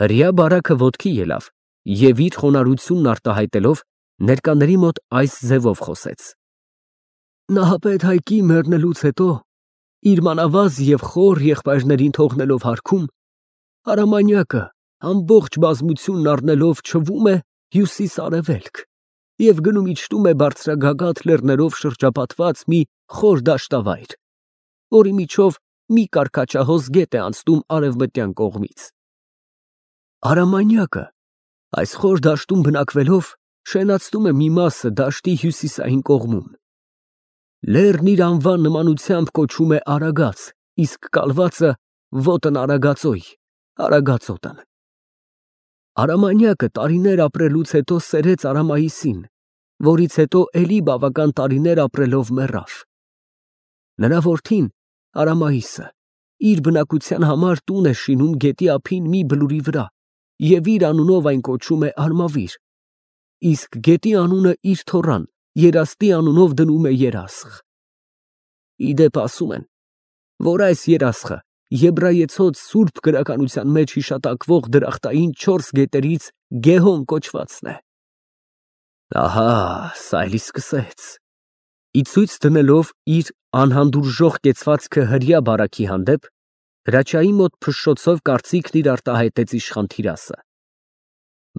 Հրեա բարակը ոտքի ելավ և իր խոնարհությունն արտահայտելով ներկաների մոտ այս ձևով խոսեց. Նահապետ Հայկի մեռնելուց հետո իր մանավազ և խոր եղբայրներին թողնելով հարքում, Արամանյակը ամբողջ բազմությունն առնելով չվում է հյուսիս֊արևելք և գնում իջնում է բարձրագագաթ լեռներով շրջապատված մի խոր դաշտավայր, որի միջով մի կառքաչահոս գետ է անցնում արևմտյան կողմից։ Արամանյակը այս խոր դաշտում բնակվելով շենացնում է մի մասը դաշտի հյուսիսային կողմում։ Լեռն իր անվան նմանությամբ կոչվում է Արագած, իսկ կալվածը ոտն Արագածոյ, Արագածոտն։ Արամանյակը տարիներ ապրելուց հետո սերեց Արամայիսին, որից հետո էլի բավական տարիներ ապրելով մեռավ։ Նրա որդին Արամայիսը իր բնակության համար տուն է շինում գետի ափին մի բլուրի վրա և իր անունով այն կոչում է Արմավիր, իսկ գետի անունը իր թոռան Երաստի անունով դնում է Երասխ։ Ի դեպ ասում են, որ այս երասխը եբրայեցոց սուրբ գրականության մեջ հիշատակվող դրախտային 4 գետերից Գեհոն կոչվածն է։ Ահա, սա էլի սկսեց։ Ի ցույց դնելով իր անհանդուրժող կեցվածքը հրեա բարակի հանդեպ, հրաչայի մոտ փշշոցով կարծիքն իր արտահայտեց իշխան Թիրասը։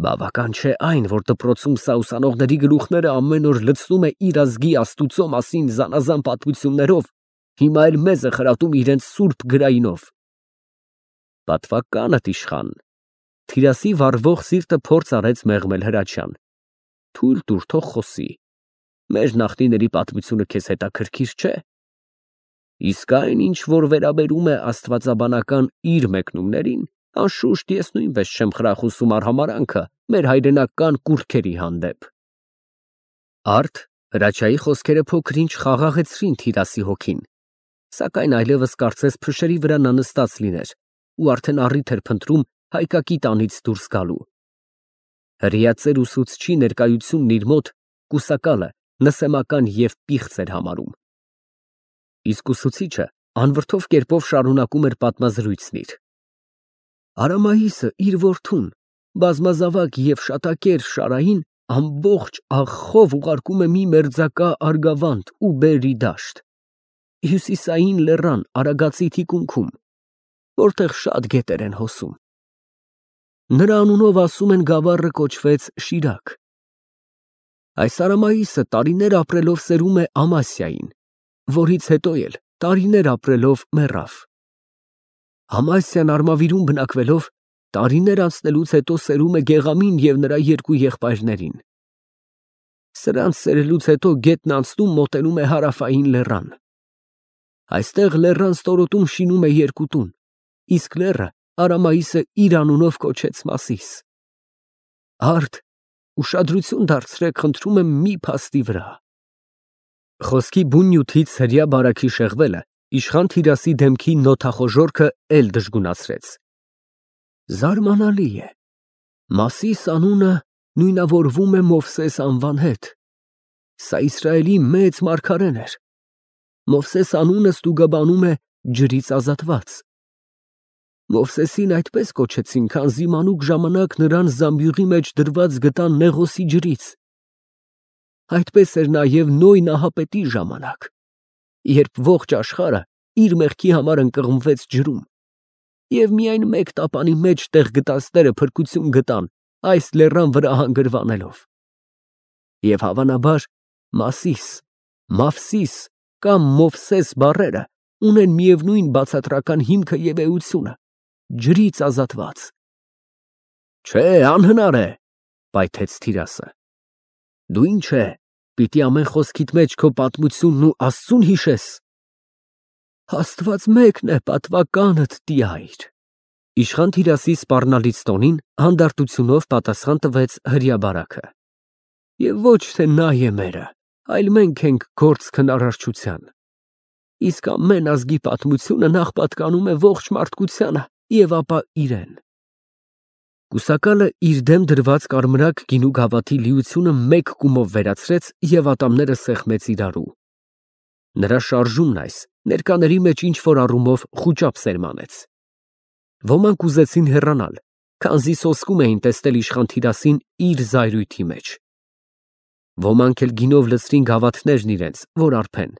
Բավական չէ այն, որ դպրոցում սա ուսանողների գլուխները ամեն օր լցնում է իր ազգի Աստուծո մասին զանազան պատմություններով, հիմա էլ մեզ է խրատում իրենց սուրբ գրայինով։ Պատվականդ իշխան։ Թիրասի վառվող սիրտը փորձ արեց մեղմել Հրաչյան։ Թույլ տուր, թող խոսի։ Մեր նախնիների պատմությունը քեզ հետաքրքիր չէ։ Իսկ այն, ինչ որ վերաբերում է աստվածաբանական իր մեկնումներին, անշուշտ ես նույնպես չեմ խրախուսում արհամարանքը մեր հայրենական կուռքերի հանդեպ։ Արդ Հրաչյայի խոսքերը փոքր-ինչ խաղաղեցրին Թիրասի հոգին, սակայն այլևս կարծես փշերի վրա նա նստած լիներ ու արդեն առիթ էր փնտրում հայկակի տանից դուրս գալու։ Հրեա ծեր ուսուցչի ներկայությունն իր մոտ կուսակալը նսեմական և պիղծ էր համարում։ Իսկ ուսուցիչը անվրդով կերպով շարունակում էր պատմազրույցն իր։ Արամայիսը իր որդուն, բազմազավակ և շատակեր Շարային, ամբողջ աղխով ուղարկում է մի մերձակա Արգավանդ ու Բերի դաշտ, հյուսիսային լեռան Արագածի թիկունքում, որտեղ շատ գետեր են հոսում։ Նրա անունով ասում են գավառը կոչվեց Շիրակ։ Այս Արամայիսը տարիներ ապրելով սերում է Ամասիային, որից հետո էլ տարիներ ապրելով մեռավ։ Ամասիան Արմավիրում բնակվելով տարիներ անցնելուց հետո սերում է Գեղամին և նրա 2 եղբայրներին։ Սրանց սերելուց հետո գետն անցնում մոտենում է հարավային լեռան։ Այստեղ լեռան ստորոտում շինում է 2 տուն, իսկ լեռը Արամայիսը իր անունով կոչեց Մասիս։ Արդ, ուշադրություն դարձրեք, խնդրում եմ մի փաստի վրա։ Խոսքի բուն նյութից հրեա բարաքի շեղվելը իշխան Թիրասի դեմքի նոթախոժորքը էլ դժգունացրեց։ Զարմանալի է, Մասիս անունը նույնավորվում է Մովսես անվան հետ։ Սա Իսրայելի մեծ մարգարեն էր։ Մովսես անունը ստուգաբանում է ջրից ազատված։ Մովսեսին այդպես կոչեցին, քանզի մանուկ ժամանակ նրան զամբյուղի մեջ դրված գտան Նեղոսի ջրից։ Այդպես էր նաև Նոյ նահապետի ժամանակ, երբ ողջ աշխարհը իր մեղքի համար ընկղմվեց ջրում, և միայն մեկ տապանի մեջ տեղ գտածները փրկություն գտան այս լեռան վրա հանգրվանելով։ Եվ հավանաբար Մասիս, Մավսիս կամ Մովսես բառերը ունեն միևնույն բացատրական հիմքը և էությունը՝ ջրից ազատված։ Չէ, անհնար է, պայթեց Թիրասը։ Դու ինչ է, պիտի ամեն խոսքիդ մեջ քո պատմությունն ու Աստծուն հիշես։ Աստված մեկն է, պատվականդ տյայր։ Իշխան Թիրասի սպառնալից տոնին հանդարտությունով պատասխան տվեց հրեա բարաքը։ Եվ ոչ թե նա է մերը, այլ մենք ենք գործ քնարարչության։ Իսկ ամեն ազգի պատմությունը նախ պատկանում է ողջ մարդկությանը և ապա իրեն։ Կուսակալը իր դեմ դրված կարմրակ գինու գավաթի լիությունը մեկ կումով վերացրեց և ատամները սեղմեց իրարու։ Նրա շարժումն այս ներկաների մեջ ինչ-որ առումով խուճապ սերմանեց։ Ոմանք ուզեցին հեռանալ, քանզի սոսկում էին տեսնել իշխան Թիրասին իր զայրույթի մեջ։ Ոմանք էլ գինով լցրին գավաթներն իրենց, որ արբեն։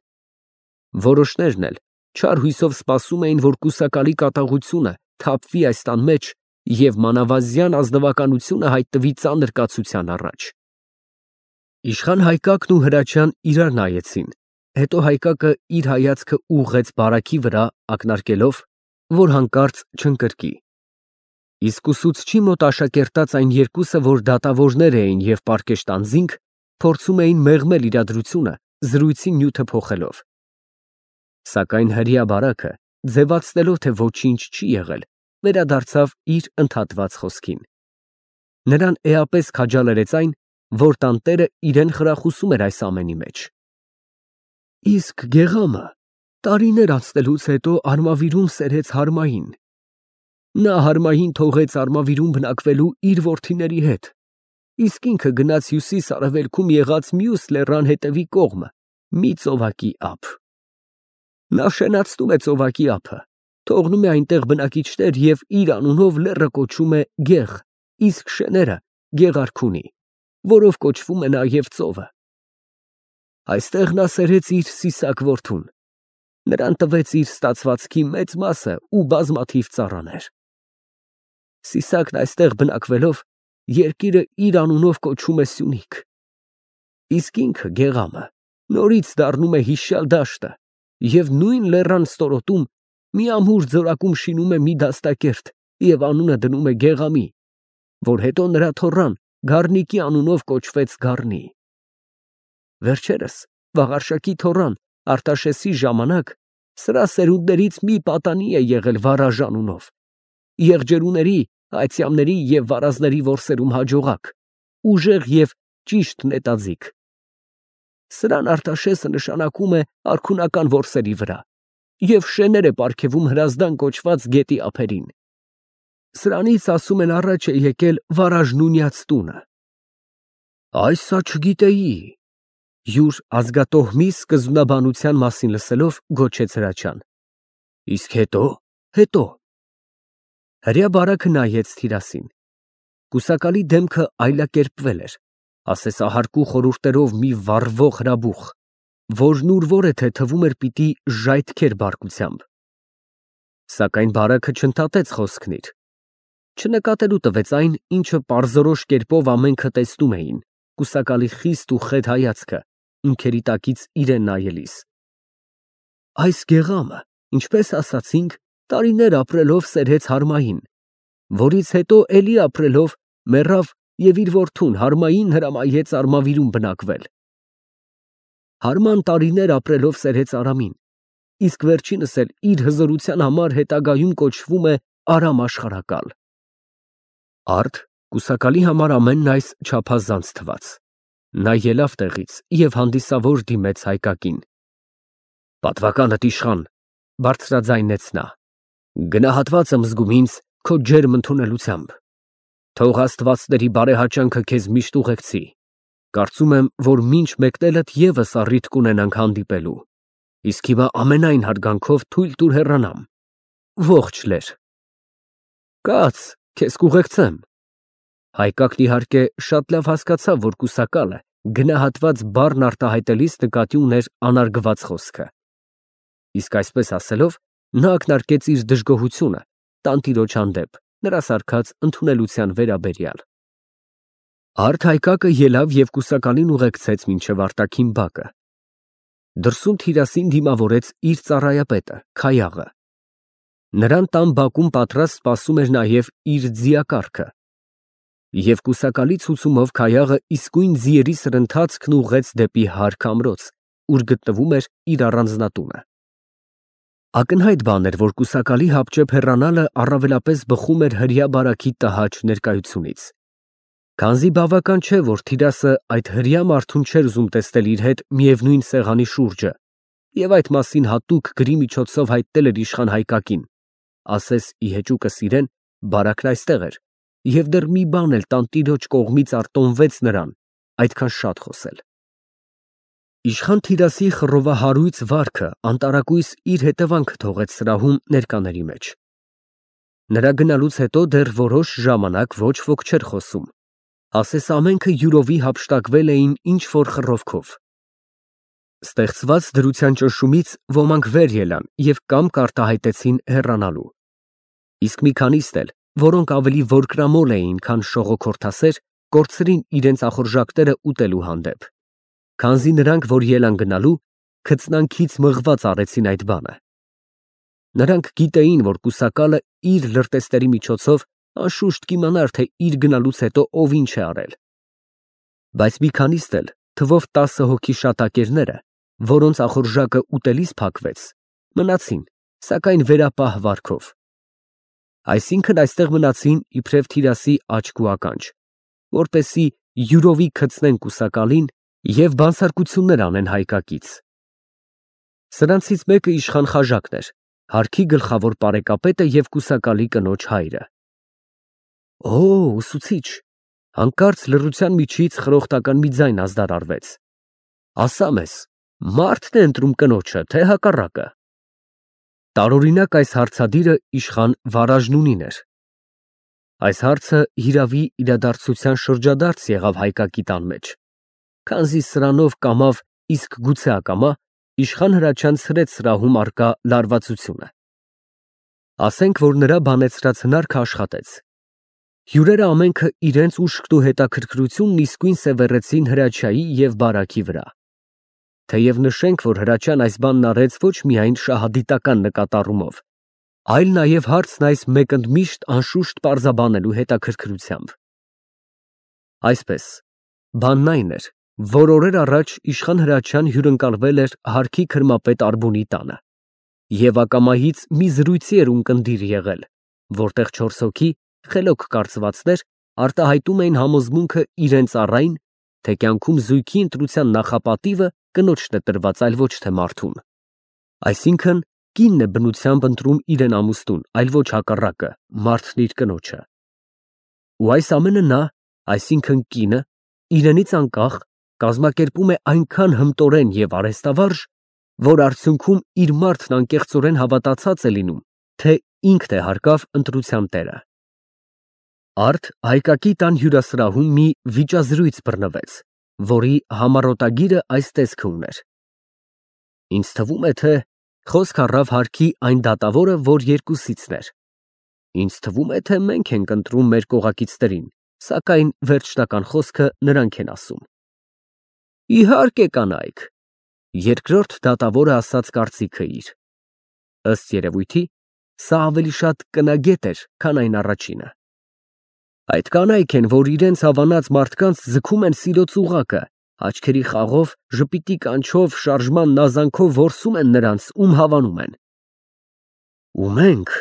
Որոշներն էլ չար հույսով սպասում էին, որ կուսակալի կատաղությունը թափվի այս տան մեջ և մանավազյան ազնվականությունը հայտնվի ծանր կացության առաջ։ Իշխան Հայկակն ու Հրաչյան իրար նայեցին, հետո Հայկակը իր հայացքը ուղղեց բարակի վրա, ակնարկելով, որ հանկարծ չընկրկի։ Իսկ ուսուցչի մոտ աշակերտած այն երկուսը, որ դատավորներ էին և պարկեշտ անձինք, փորձում էին մեղմել իրադրությունը, զրույցի նյութը փոխելով։ Սակայն հրեա բարակը, ձևացնելով, թե ոչինչ չի եղել, վերադարձավ իր ընդհատված խոսքին։ Նրան էապես քաջալերեց այն, որ տանտերը իրեն խրախուսում էր այս ամենի մեջ։ Իսկ գեղամը տարիներ անցնելուց հետո Արմավիրում սերեց Հարմային։ Նա Հարմային թողեց Արմավիրում բնակվելու իր որդիների հետ, իսկ ինքը գնաց հյուսիս֊արևելքում եղած մյուս լեռան հետևի կողմը, մի ծովակի ափ։ Նա շենացնում է ծովակի ափը, թողնում է այնտեղ բնակիչներ և իր անունով լեռը կոչում է Գեղ, իսկ շեները Գեղարք ունի, որով կոչվում է նաև ծովը։ Այստեղ նա սերեց իր սիսակ որդուն, նրան տվեց իր ստացվածքի մեծ մասը ու բազմաթիվ ծառաներ։ Սիսակն այստեղ բնակվելով, երկիրը իր անունով կոչում է Սյունիք, իսկ ինքը Գեղամը նորից դառնում է հիշյալ դաշտը և նույն լեռան ստորոտում մի ամուր ձորակում շինում է մի դաստակերտ և անունը դնում է Գեղամի, որ հետո նրա թոռան Գառնիկի անունով կոչվեց Գառնի։ Վերջերս Վաղարշակի թոռան Արտաշեսի ժամանակ սրա սերունդներից մի պատանի է եղել Վարաժ անունով, եղջերուների, այծյամների և վարազների որսերում հաջողակ, ուժեղ և ճիշտ նետաձիգ։ Սրան Արտաշեսը նշանակում է արքունական որսերի վրա և շեներ է պարգևում Հրազդան կոչված գետի ափերին։ Սրանից, ասում են, առաջ է եկել Վարաժ Նունյաց տունը։ Այսա չգիտեի, յուր ազգատոհմի սկզբնաբանության մասին լսելով գոչեց Հրաչյան։ Իսկ հետո։ Հրեա բարակը նայեց Թիրասին։ Կուսակալի դեմքը այլակերպվել էր, ասեսահարկու խորհուրդներով մի վառվող հրաբուխ, որն ուր որ է թե թվում էր պիտի ժայթքեր բարկությամբ։ Սակայն բարակը չընդհատեց խոսքն իր, չնկատելու տվեց այն, ինչը պարզորոշ կերպով ամենքը տեսնում էին, կուսակալի խիստ ու խետ հայացքը, ունքերի տակից իրեն նայելիս։ Այս գեղամը, ինչպես ասացինք, տարիներ ապրելով սերեց Հարմային, որից հետո էլի ապրելով մեռավ և իր որդուն Հարմային հրամայեց Արմավիրում բնակվել։ Հարման տարիներ ապրելով սերեց Արամին, իսկ վերջինս էլ իր հզորության համար հետագայում կոչվում է Արամ աշխարհակալ։ Արդ կուսակալի համար ամենն այս չափազանց թվաց։ Նա ելավ տեղից և հանդիսավոր դիմեց Հայկակին։ Պատվականդ իշխան, բարձրաձայնեց նա, գնահատված եմ զգում ինձ քո ջերմ ընդունելությամբ։ Թող աստվածների բարեհաճանքը քեզ միշտ ուղեկցի։ Կարծում եմ, որ մինչ մեկնելդ ևս առիթ կունենանք հանդիպելու։ Իսկ հիմա ամենայն հարգանքով թույլ տուր հեռանամ։ Ողջ լեր։ Կաց, քեզ կուղեկցեմ։ Հայկակն իհարկե շատ լավ հասկացավ, որ կուսակալը գնահատված բառն արտահայտելիս նկատի ուներ անարգված խոսքը։ Իսկ այսպես ասելով, նա ակնարկեց իր դժգոհությունը տանտիրոջ հանդեպ, նրա սարքած ընդունելության վերաբերյալ։ Արդ Հայկակը ելավ և կուսակալին ուղեկցեց մինչև արտաքին բակը։ Դրսում Թիրասին դիմավորեց իր ծառայապետը Քայաղը։ Նրան տան բակում պատրաստ սպասում էր նաև իր ձիակառքը։ Եվ կուսակալի ցուցումով Քայաղը իսկույն ձիերի սրընթացքն ուղղեց դեպի հարկ ամրոց, ուր գտնվում էր իր առանձնատունը։ Ակնհայտ բան էր, որ կուսակալի հապճեպ հեռանալը առավելապես բխում էր հրեա բարակի տհաճ ներկայությունից։ Քանզի բավական չէ, որ Թիրասը այդ հրեա մարդուն չէր ուզում տեսնել իր հետ միևնույն սեղանի շուրջը և այդ մասին հատուկ գրի միջոցով հայտնել էր իշխան Հայկակին, ասես ի հեճուկս իրեն, բարակն այստեղ էր, և դեռ մի բան էլ տանտիրոջ կողմից արտոնվեց նրան, այդքան շատ խոսել։ Իշխան Թիրասի խռովահարույց վարքը անտարակույս իր հետևանքը թողեց սրահում ներկաների մեջ։ Նրա գնալուց հետո դեռ որոշ ժամանակ ոչ ոք չէր խոսում, ասես ամենքը յուրովի հափշտակվել էին ինչ-որ խռովքով։ Ստեղծված դրության ճնշումից ոմանք վեր ելան և կամք արտահայտեցին հեռանալու։ Իսկ մի քանիստ էլ, որոնք ավելի որկրամոլ էին, քան շողոքորթասեր, կորցրին իրենց ախորժակները ուտելու հանդեպ։ Քանզի նրանք, որ ելան գնալու, քծնանքից մղված արեցին այդ բանը։ Նրանք գիտեին, որ կուսակալը իր լրտեսների միջոցով անշուշտ կիմանար, թե իր գնալուց հետո ով ինչ է արել։ Բայց մի քանիստ էլ, թվով 10 հոգի շատակերները, որոնց ախորժակը ուտելիս փակվեց, մնացին, սակայն վերապահ վարքով։ Այսինքն այստեղ մնացին իբրև թիրասի աչք ու ականջ, որպեսզի յուրովի քծնեն կուսակալին և բանսարկություններ անեն հայկակից։ Սրանցից մեկը իշխան Խաժակն էր, հարքի գլխավոր պարեկապետը և կուսակալի կնոջ հայրը։ Օ, ուսուցիչ, հանկարծ լռության միջից խրոխտական մի ձայն ազդարարվեց։ Ասա մեզ, մա՞րդն է ընտրում կնոջը, թե հակառակը։ Տարօրինակ այս հարցադիրը իշխան Վարաժնունին էր։ Այս հարցը հիրավի իրադարձության շրջադարձ եղավ հայկակի տան մեջ, քանզի սրանով կամավ, իսկ գուցե ակամա, իշխան Հրաչյան ցրեց սրահում առկա լարվածությունը։ Ասենք, որ նրա բանեցրած հնարքը աշխատեց։ Հյուրերը ամենքը իրենց ուշքն ու հետաքրքրությունն իսկույն սևեռեցին Հրաչյայի և բարաքի վրա։ Թեև նշենք, որ Հրաչյան այս բանն արեց ոչ միայն շահադիտական նկատառումով, այլ նաև հարցն այս մեկընդմիշտ անշուշտ պարզաբանելու հետաքրքրությամբ։ Այսպես, բանն այն էր, որ օրեր առաջ իշխան Հրաչյան հյուրընկալվել էր հարքի քրմապետ Արբունի տանը և ակամայից մի զրույցի էր ունկնդիր եղել, որտեղ 4 հոգի, խելոք կարծվածներ, արտահայտում էին համոզմունքը իրենց առ այն, թե կյանքում զույգի ընտրության նախապատիվը կնոջն է տրված, այլ ոչ թե մարդուն։ Այսինքն, կինն է բնությամբ ընտրում իրեն ամուսնուն, այլ ոչ հակառակը, մարդն իր կնոջը։ Ու այս ամենը նա, այսինքն կինը, իրենից անկախ, կազմակերպում է այնքան հմտորեն և արհեստավարժ, որ արդյունքում իր մարդն անկեղծորեն հավատացած է լինում, թե ինքն է հարկավ ընտրության տերը։ Արդ հայկակի տան հյուրասրահում մի վիճազրույց բռնվեց, որի համառոտագիրը այս տեսքը ուներ. Ինձ թվում է, թե խոսք առավ հարքի այն դատավորը, որ երկուսիցն էր։ Ինձ թվում է, թե մենք ենք ընտրում մեր կողակիցներին, սակայն վերջնական խոսքը նրանք են ասում։ Իհարկե կանայք, երկրորդ դատավորը ասաց կարծիքը իր։ Ըստ երևույթի, սա ավելի շատ կնագետ էր, քան այն առաջինը։ Այդ կանայք են, որ իրենց հավանած մարդկանց ձգում են սիրո ծուղակը, աչքերի խաղով, ժպիտի կանչով, շարժման նազանքով որսում են նրանց, ում հավանում են։ Ու մենք,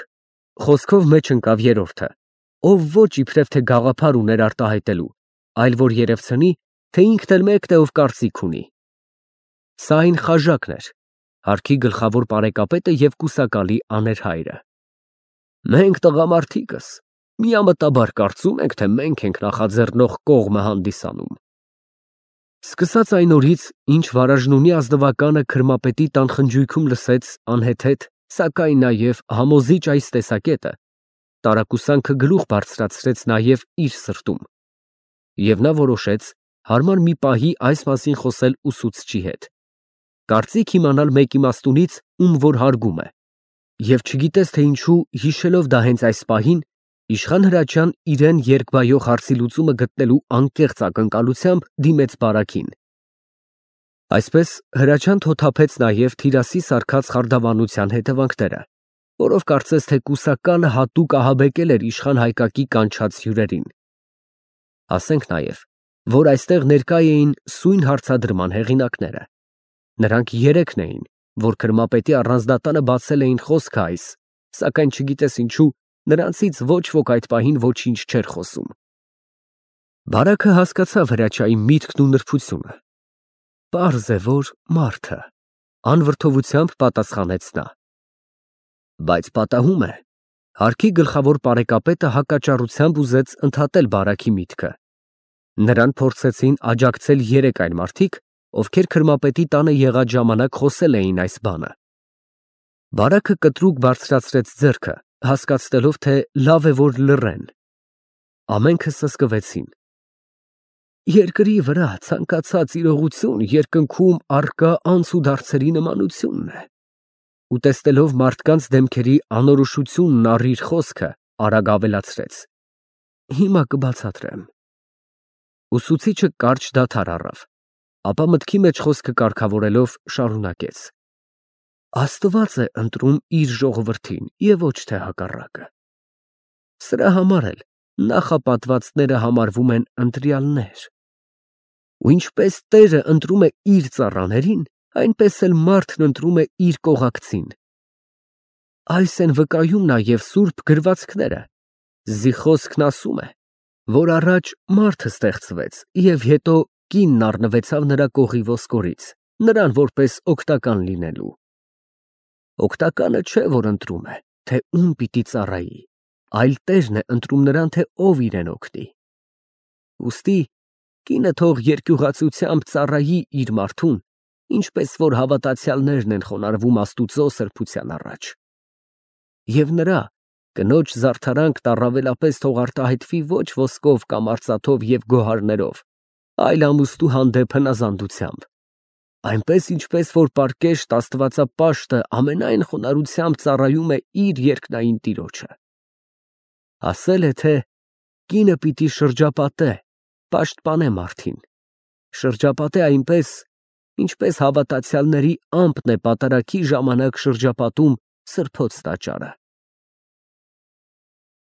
խոսքով մեջ ընկավ երրորդը, ով ոչ իբրև թե գաղափար ուներ արտահայտելու, այլ որ երևցնի, թե ինքն էլ մեկն է, ով կարծիք ունի։ Սա այն Խաժակն էր, հարքի գլխավոր պարեկապետը և կուսակալի աներհայրը։ Մենք տղամարդիկս միամտաբար կարծում ենք, թե մենք ենք նախաձեռնող կողմը հանդիսանում։ Սկսած այն օրից, ինչ Վարաժնունի ազնվականը քրմապետի տան խնջույքում լսեց անհեթեթ, սակայն նաև համոզիչ այս տեսակետը, տարակուսանքը գլուխ բարձրացրեց նաև իր սրտում, և նա որոշեց հարմար մի պահի այս մասին խոսել ուսուցչի հետ, կարծիք իմանալ մեկ իմաստունից, ում որ հարգում է, և չգիտես թե ինչու, հիշելով դա հենց այս պահին, իշխան Հրաչյան իրեն երկբայող հարցի լուծումը գտնելու անկեղծ ակնկալությամբ դիմեց բարաքին։ Այսպես Հրաչյան թոթափեց նաև թիրասի սարքած խարդավանության հետևանքները, որով կարծես թե կուսակալը հատուկ ահաբեկել էր իշխան հայկակի կանչած հյուրերին։ Ասենք նաև, որ այստեղ ներկա էին սույն հարցադրման հեղինակները։ Նրանք երեքն էին, որ քրմապետի առանձնատանը բացել էին խոսքը այս, սակայն չգիտես ինչու, նրանցից ոչ ոք այդ պահին ոչինչ չէր խոսում։ Բարաքը հասկացավ Հրաչյայի միտքն ու նրբությունը։ Պարզ է, որ մարդը, անվրդովությամբ պատասխանեց նա։ Բայց պատահում է, հարքի գլխավոր պարեկապետը հակաճառությամբ ուզեց ընդհատել բարաքի միտքը։ Նրան փորձեցին աջակցել երեք այլ մարդիկ, ովքեր քրմապետի տանը եղած ժամանակ խոսել էին այս բանը։ Բարաքը կտրուկ բարձրացրեց ձեռքը, հասկացնելով, թե լավ է, որ լռեն։ Ամենքը սսկվեցին։ Երկրի վրա ցանկացած իրողություն երկնքում առկա անցուդարձերի նմանությունն է։ Ուտեստելով մարդկանց դեմքերի անորոշությունն առիր խոսքը, արագ ավելացրեց. Հիմա կբացատրեմ։ Ուսուցիչը կարճ դադար առավ, ապա մտքի մեջ խոսքը կարգավորելով շարունակեց. Աստված է ընտրում իր ժողովրդին և ոչ թե հակառակը։ Սրա համար էլ նախապատվածները համարվում են ընտրյալներ։ Ու ինչպես Տերը ընտրում է իր ծառաներին, այնպես էլ մարդն ընտրում է իր կողակցին։ Այս են վկայում նաև սուրբ գրվածքները։ Զի խոսքն ասում է, որ առաջ մարդը ստեղծվեց և հետո կինն առնվեցավ նրա կողի ոսկորից, նրան որպես օգտական լինելու։ Օգտականը չէ, որ ընտրում է, թե ում պիտի ծառայի, այլ Տերն է ընտրում նրան, թե ով իրեն օգնի։ Ուստի կինը թող երկյուղացությամբ ծառայի իր մարդուն, ինչպես որ հավատացյալներն են խոնարհվում Աստուծո սրբության առաջ։ Եվ նրա կնոջ զարդարանքն առավելապես թող արտահայտվի ոչ ոսկով կամ արծաթով և գոհարներով, այլ ամուսնու հանդեպ հնազանդությամբ, այնպես ինչպես որ պարկեշտ աստվածապաշտը ամենայն խոնարհությամբ ծառայում է իր երկնային տիրոջը։ Ասել է, թե կինը պիտի շրջապատե, պաշտպանե մարդին, շրջապատե այնպես, ինչպես հավատացյալների ամպն է պատարագի ժամանակ շրջապատում սրբոց տաճարը։